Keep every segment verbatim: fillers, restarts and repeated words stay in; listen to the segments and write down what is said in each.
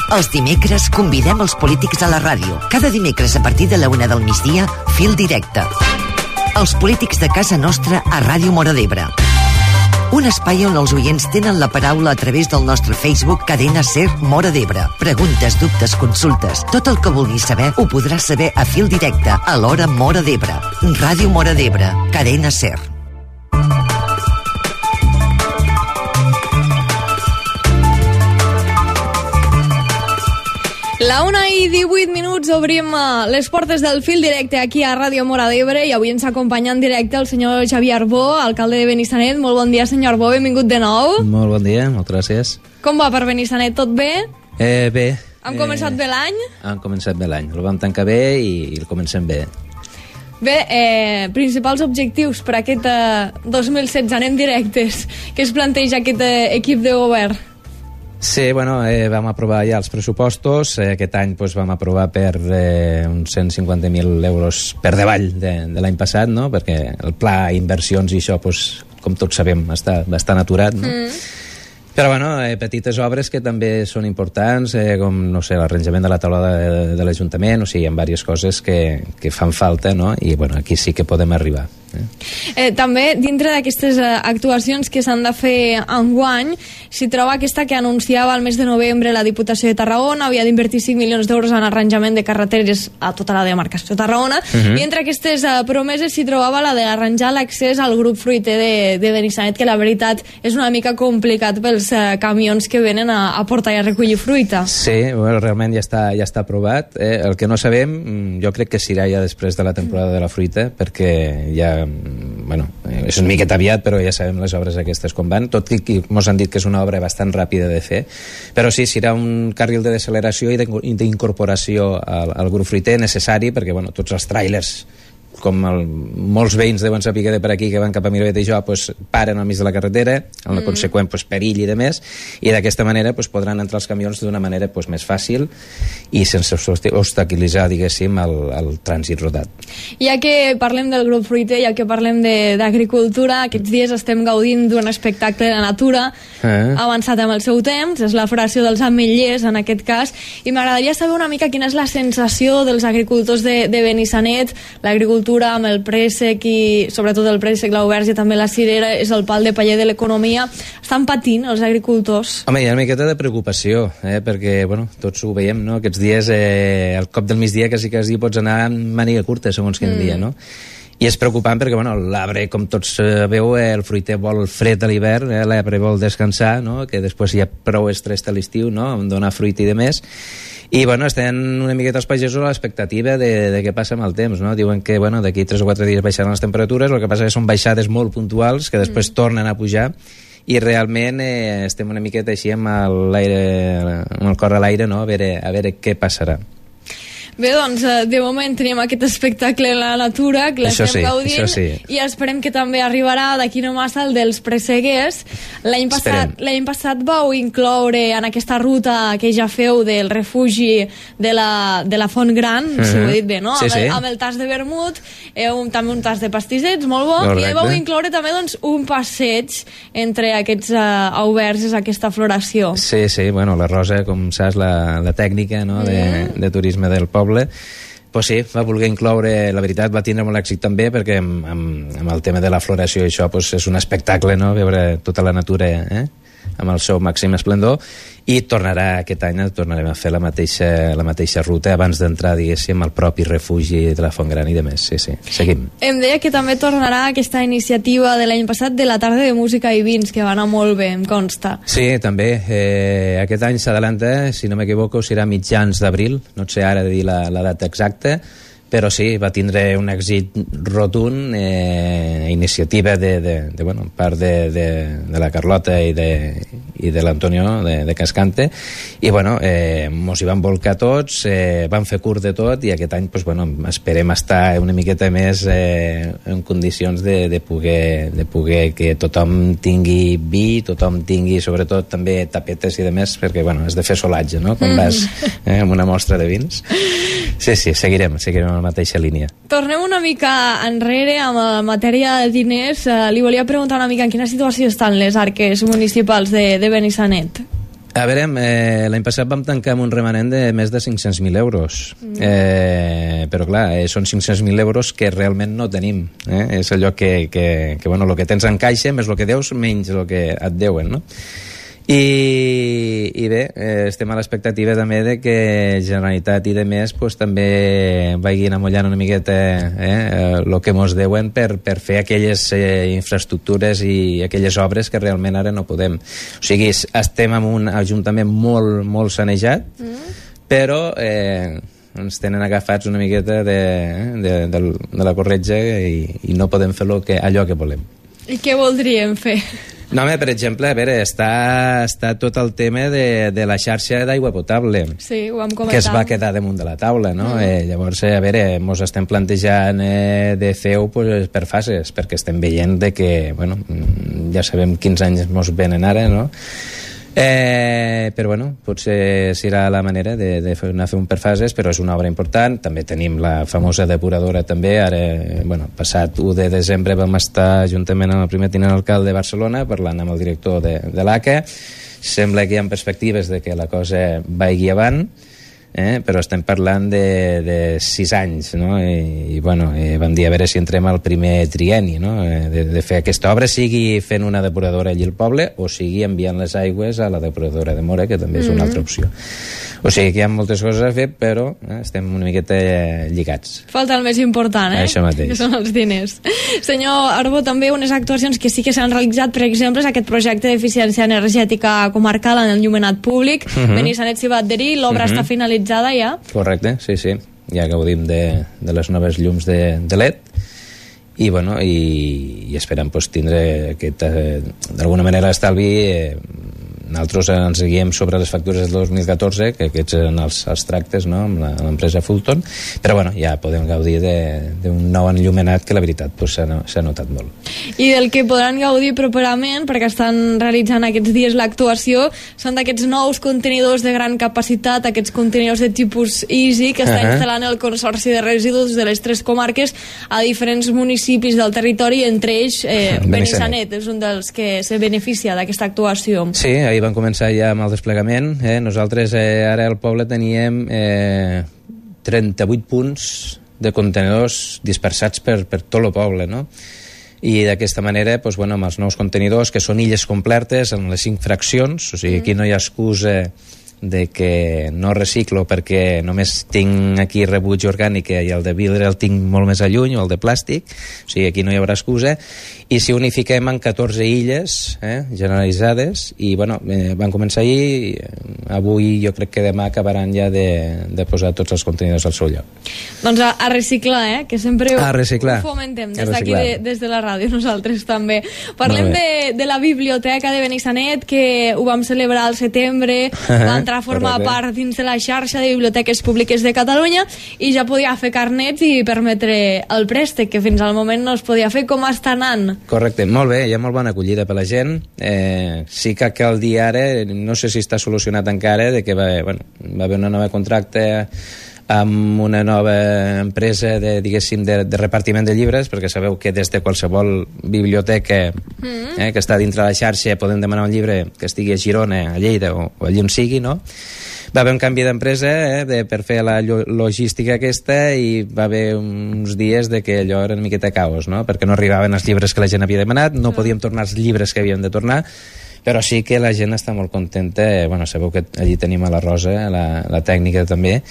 Els dimecres convidem els polítics a la ràdio. Cada dimecres a partir de la una del migdia, Fil Directe. Els polítics de casa nostra a Ràdio Móra d'Ebre. Un espai on els oients tenen la paraula a través del nostre Facebook Cadena Ser Móra d'Ebre. Preguntes, dubtes, consultes, tot el que vulguis saber ho podràs saber a Fil Directe a l'hora Móra d'Ebre. Ràdio Móra d'Ebre, Cadena Ser. La una i divuit minuts obrim les portes del Fil Directe aquí a Ràdio Móra d'Ebre i avui ens acompanya en directe el senyor Xavier Arbó, alcalde de Benissanet. Molt bon dia, senyor Arbó, benvingut de nou. Molt bon dia, moltes gràcies. Com va per Benissanet, tot bé? Eh, bé. Hem eh, començat bé l'any? Hem començat bé l'any, el vam tancar bé i el comencem bé. Bé, eh, principals objectius per aquest eh, dos mil setze, anem directes. Què es planteja aquest eh, equip de govern? Sí, bueno, eh, vam aprovar ja els pressupostos. Eh, aquest any pues, vam aprovar per eh, uns cent cinquanta mil euros per davall de, de l'any passat, no? Perquè el pla inversions i això, pues, com tots sabem, està bastant aturat, no? Mm. Però, bueno, eh, petites obres que també són importants, eh, com, no sé, l'arranjament de la taula de, de l'Ajuntament, o sigui, hi ha diverses coses que, que fan falta, no? I, bueno, aquí sí que podem arribar. Eh? Eh, també, dintre d'aquestes eh, actuacions que s'han de fer enguany, s'hi troba aquesta que anunciava al mes de novembre la Diputació de Tarragona, havia d'invertir cinc milions d'euros en arranjament de carreteres a tota la demarcació de Tarragona, uh-huh. I entre aquestes eh, promeses s'hi trobava la d'arranjar l'accés al grup fruiter de, de Benissanet, que la veritat és una mica complicat pels eh, camions que venen a, a portar i a recollir fruita. Sí, bueno, realment ja està, ja està aprovat. Eh? El que no sabem, jo crec que serà ja després de la temporada de la fruita, perquè ja bueno, és una miqueta aviat, però ja sabem les obres aquestes com van, tot i que ens han dit que és una obra bastant ràpida de fer, però sí, serà un carril de deceleració i d'incorporació al, al grup fruiter necessari, perquè bueno, tots els tràilers, com el, molts veïns deuen saber que de per aquí que van cap a Miravet i jo, pues, paren al mig de la carretera, amb el mm. conseqüent pues, perill i de més, i d'aquesta manera pues, podran entrar els camions d'una manera pues, més fàcil i sense obstaculitzar, diguéssim, el, el trànsit rodat. Ja que parlem del grup fruiter, ja que parlem d'agricultura, aquests dies estem gaudint d'un espectacle de natura eh. avançat amb el seu temps, és la floració dels ametllers en aquest cas, i m'agradaria saber una mica quina és la sensació dels agricultors de, de Benissanet, l'agricultura amb el préssec i sobretot el préssec, l'auberge, també la cirera, és el pal de paller de l'economia. Estan patint els agricultors? Home, hi ha una miqueta de preocupació, eh? perquè bueno, tots ho veiem, no? Aquests dies, eh, al cop del migdia quasi quasi pots anar amb màniga curta, segons quin mm. dia, no? I és preocupant perquè, bueno, l'arbre, com tots sabeu, eh, el fruiter vol fred a l'hivern, eh, l'arbre vol descansar, no? Que després hi ha prou estrès a l'estiu, no? Donar fruit i de més. I, bueno, estan una miqueta els pagesos a l'expectativa de, de què passa amb el temps, no? Diuen que, bueno, d'aquí tres o quatre dies baixaran les temperatures, el que passa que són baixades molt puntuals, que després mm. tornen a pujar, i realment eh, estem una miqueta així amb l'aire, amb el cor a l'aire, no? A veure, a veure què passarà. Bé, doncs, de moment tenim aquest espectacle en la natura, que l'estem sí, gaudint, sí. I esperem que també arribarà d'aquí no massa el dels presseguers. L'any passat, l'any passat vau incloure en aquesta ruta que ja feu del refugi de la, de la Font Gran, uh-huh. si ho he dit bé, no? Sí, amb, el, sí. amb el tas de vermut, eh, un, també un tas de pastissets, molt bo, correcte. I vau incloure també doncs, un passeig entre aquests uh, auberges, aquesta floració. Sí, sí, bueno, la Rosa, com saps, la, la tècnica, no? de, mm. de turisme del poble, pues sí, va voler incloure, la veritat va tindre molt èxit també perquè amb, amb, amb el tema de la floració i això pues, és un espectacle, no? Veure tota la natura eh? amb el seu màxim esplendor, i tornarà aquest any, tornarem a fer la mateixa, la mateixa ruta abans d'entrar, diguéssim, al propi refugi de la Font Gran i de més. Sí, sí, seguim. Em deia que també tornarà aquesta iniciativa de l'any passat de la tarda de música i vins, que va anar molt bé, em consta. Sí, també. Eh, aquest any s'adelanta, si no m'equivoco, serà mitjans d'abril, no sé ara de dir la, la data exacta, però sí, va tindre un èxit rotund, eh, iniciativa de, de, de, bueno, part de, de, de la Carlota i de, i de l'Antonio de, de Cascante, i bueno, eh, mos hi van volcar tots, eh, van fer curt de tot, i aquest any pues, bueno, esperem estar una miqueta més eh, en condicions de, de, poder, de poder que tothom tingui vi, tothom tingui sobretot també tapetes i de més, perquè bueno, has de fer solatge, no? Quan vas eh, amb una mostra de vins. Sí, sí, seguirem, seguirem en la mateixa línia. Tornem una mica enrere amb la matèria de diners. Uh, li volia preguntar una mica en quina situació estan les arques municipals de, de Benissanet. A veure, eh, l'any passat vam tancar amb un remanent de més de cinc-cents mil euros. Mm. Eh, però clar, eh, són cinc-cents mil euros que realment no tenim. Eh? És allò que, que, que bueno, el que tens en caixa més el que deus menys el que et deuen, no? I, i bé, eh, estem a l'expectativa també de que Generalitat i de més pues, també vagin amollant una miqueta eh, el que mos deuen per, per fer aquelles eh, infraestructures i aquelles obres que realment ara no podem. O sigui, estem en un ajuntament molt, molt sanejat, mm. però eh, ens tenen agafats una miqueta de, de, de, de la corretja i, i no podem fer lo que, allò que volem. I què voldríem fer? No, home, per exemple, a veure, està, està tot el tema de, de la xarxa d'aigua potable. Sí, ho hem comentat. Que es va quedar damunt de la taula, no? Mm. Eh, llavors, eh, a veure, mos estem plantejant eh, de fer-ho pues, per fases, perquè estem veient de que, bueno, ja sabem quins anys mos venen ara, no? Eh, però bueno, potser serà la manera de, de fer, anar a fer un per fases, però és una obra important. També tenim la famosa depuradora també. Ara, bueno, passat u de desembre vam estar juntament amb el primer tinent alcalde de Barcelona parlant amb el director de, de l'A C A. Sembla que hi ha perspectives de que la cosa vagi avant, eh? Però estem parlant de, de sis anys, no? I, i bueno, eh, vam dir a veure si entrem al primer trienni, no? Eh, de, de fer aquesta obra, sigui fent una depuradora allí al poble o sigui enviant les aigües a la depuradora de Mora, que també és una altra opció. O sigui que hi ha moltes coses a fer, però eh, estem una miqueta lligats. Falta el més important, eh? Això mateix. Que són els diners. Senyor Arbó, també unes actuacions que sí que s'han realitzat, per exemple, és aquest projecte d'eficiència energètica comarcal en el enllumenat públic. Uh -huh. Benissanet s'hi va adherir, l'obra uh -huh. està finalitzada ja? Correcte, sí, sí. Ja gaudim de, de les noves llums de, de L E D i, bueno, i, i esperem pues, tindre aquest, eh, d'alguna manera estalvi. eh, Nosaltres ens guiem sobre les factures del dos mil catorze, que aquests eren els, els tractes, no?, amb l'empresa Fulton, però bueno, ja podem gaudir d'un nou enllumenat que la veritat pues, s'ha no, notat molt. I del que podran gaudir properament, perquè estan realitzant aquests dies l'actuació, són d'aquests nous contenidors de gran capacitat, aquests contenidors de tipus Easy, que està uh -huh. instal·lant el Consorci de Residus de les tres comarques a diferents municipis del territori, entre ells eh, Benissanet. Benissanet és un dels que se beneficia d'aquesta actuació. Sí, ahir van començar ja amb el desplegament. Eh? Nosaltres eh, ara al poble teníem eh, trenta-vuit punts de contenidors dispersats per, per tot el poble, no? I d'aquesta manera, doncs, bueno, amb els nous contenidors, que són illes completes en les cinc fraccions, o sigui, aquí no hi ha excusa de que no reciclo perquè només tinc aquí rebuig orgànic i el de vidre el tinc molt més a lluny, o el de plàstic, o sigui, aquí no hi haurà excusa. I si unifiquem en catorze illes eh, generalitzades, i bueno, eh, van començar ahir, avui jo crec que demà acabaran ja de, de posar tots els contenidors al seu lloc. Doncs a, a reciclar, eh, que sempre ho, a reciclar. ho fomentem des d'aquí, de, des de la ràdio, nosaltres també. Parlem de, de la biblioteca de Benissanet, que ho vam celebrar al setembre, va entrar a formar part dins de la xarxa de biblioteques públiques de Catalunya i ja podia fer carnets i permetre el préstec, que fins al moment no es podia fer. Com està anant? Correcte, molt bé, hi ha molt bona acollida per la gent. Eh, sí que cal dir ara, no sé si està solucionat encara, de que va, bueno, va haver una nova contracte amb una nova empresa de, diguéssim, de, de repartiment de llibres, perquè sabeu que des de qualsevol biblioteca mm. eh, que està dintre la xarxa podem demanar un llibre que estigui a Girona, a Lleida o, o allí on sigui, no? Va haver un canvi d'empresa eh, de, per fer la logística aquesta, i va haver uns dies de que allò era una miqueta caos, no? Perquè no arribaven els llibres que la gent havia demanat, no podíem tornar els llibres que havíem de tornar, però sí que la gent està molt contenta. Bueno, sabeu que allí tenim a la Rosa, la, la tècnica també,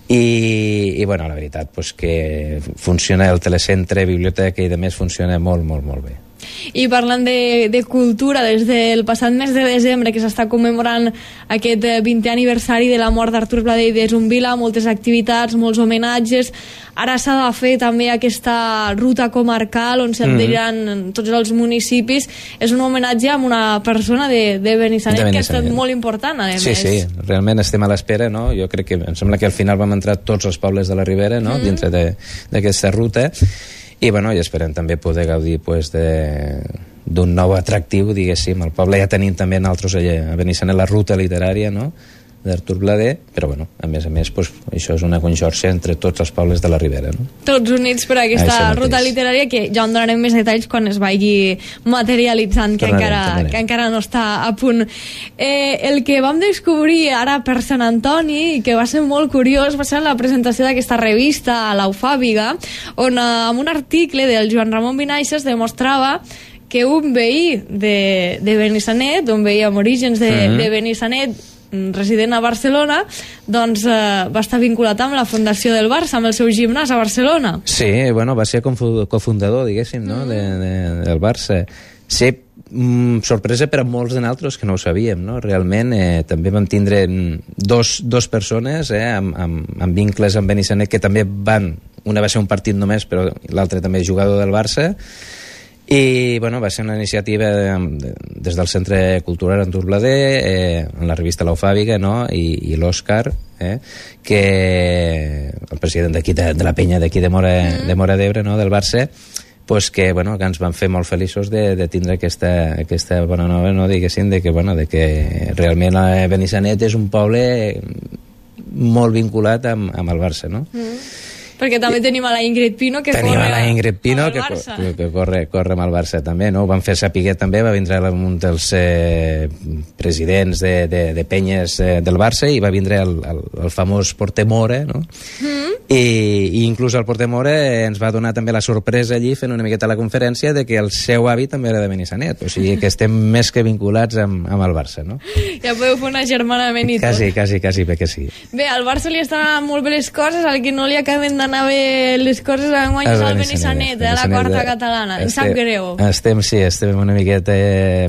i, i bueno, la veritat pues, que funciona el telecentre, biblioteca i de més, funciona molt, molt, molt bé. I parlant de, de cultura, des del passat mes de desembre, que s'està commemorant aquest vintè aniversari de la mort d'Artur Bladé i de Zumbila, moltes activitats, molts homenatges. Ara s'ha de fer també aquesta ruta comarcal on s'adheriran mm-hmm. tots els municipis. És un homenatge a una persona de, de Benissanet, de Benissanet que ha estat molt important, a sí, més. Sí, sí, realment estem a l'espera, no? Jo crec que, em sembla que al final vam entrar tots els pobles de la Ribera, no? Mm. Dintre d'aquesta ruta. I, bueno, i esperem també poder gaudir pues, d'un nou atractiu, diguéssim. Al poble ja tenim també nosaltres allà, a Benissanet la ruta literària, no? d'Artur Blader, però bueno, a més a més pues, això és una conxorxa entre tots els pobles de la Ribera, no? Tots units per aquesta ruta literària, que ja en donarem més detalls quan es vagi materialitzant, que, tornarem, encara, tornarem. que encara no està a punt. Eh, el que vam descobrir ara per Sant Antoni, i que va ser molt curiós, va ser la presentació d'aquesta revista a l'Eufàbiga, on eh, amb un article del Joan Ramon Vinaixes demostrava que un veí de, de Benissanet, un veí amb orígens de, mm-hmm. de Benissanet, resident a Barcelona, doncs eh, va estar vinculat amb la fundació del Barça, amb el seu gimnàs a Barcelona. Sí, bueno, va ser cofundador, diguéssim, no? Mm. de, de, del Barça. Sí, mm, sorpresa per a molts de nosaltres que no ho sabíem, no? Realment eh, també vam tindre dos, dos persones eh, amb, amb, amb vincles amb Benissanet, que també van, una va ser un partit només, però l'altre també és jugador del Barça. I bueno, va ser una iniciativa de, de, des del Centre Cultural Artur Blader, eh, en la revista L'Eufàbiga, no? I, i l'Òscar, eh, que el president d'aquí de, de la penya d'aquí de Mora, mm. de Mora d'Ebre, no? Del Barça, pues que, bueno, que ens van fer molt feliços de, de tindre aquesta, aquesta bona nova, no? Diguéssim, de que, bueno, de que realment Benissanet és un poble molt vinculat amb, amb el Barça, no? Mm. Perquè també tenim a la Ingrid Pino, que tenim corre a la Ingrid Pino, que, que, que corre, corre amb el Barça també, no? Ho van fer saber també, va vindre un dels eh, presidents de, de, de penyes eh, del Barça, i va vindre el, el, el famós Porter Mora, no? Mm. I, i inclús el Porter Mora ens va donar també la sorpresa allí, fent una miqueta la conferència, de que el seu avi també era de Benissanet, o sigui que estem més que vinculats amb, amb el Barça, no? Ja podeu fer un agermanament i tot. Quasi, quasi, quasi, bé que sí. Bé, al Barça li estan molt bé les coses, al que no li acaben d'anar bé les coses a guanyar al Benissanet, a la quarta catalana. Em sap greu. Estem, sí, estem una miqueta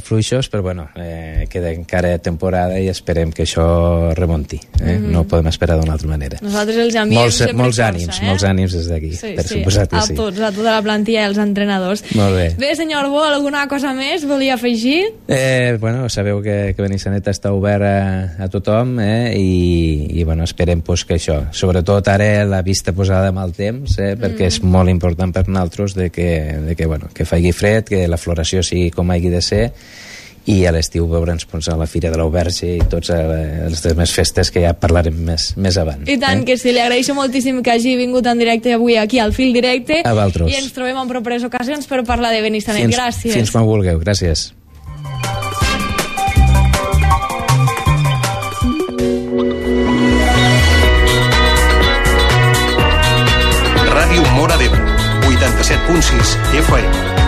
fluixos, però bueno, eh, queda encara temporada i esperem que això remonti. Eh? Mm-hmm. No ho podem esperar d'una altra manera. Nosaltres els enviem molts, sempre molts força, ànims, eh? molts ànims des d'aquí, sí, per sí, suposat que a sí. tots, a tota la plantilla i els entrenadors. Molt bé. Bé, senyor Bo, alguna cosa més volia afegir? Eh, bueno, sabeu que, que Benissanet està obert a, a tothom, eh? I, i bueno, esperem pues, que això, sobretot ara la vista posada amb el temps, eh? perquè mm. és molt important per nosaltres de que, de que, bueno, que faci fred, que la floració sigui com hagi de ser, i a l'estiu veure'ns pues, a la Fira de l'Auberge i tots les altres festes que ja parlarem més, més avant. I tant, eh? que sí, li agraeixo moltíssim que hagi vingut en directe avui aquí al Fil Directe, a vosaltres. I ens trobem en properes ocasions per parlar de Benissanet. Fins, gràcies. Fins quan vulgueu, gràcies. Ràdio Móra d'Ebre, vuitanta-set punt sis F M.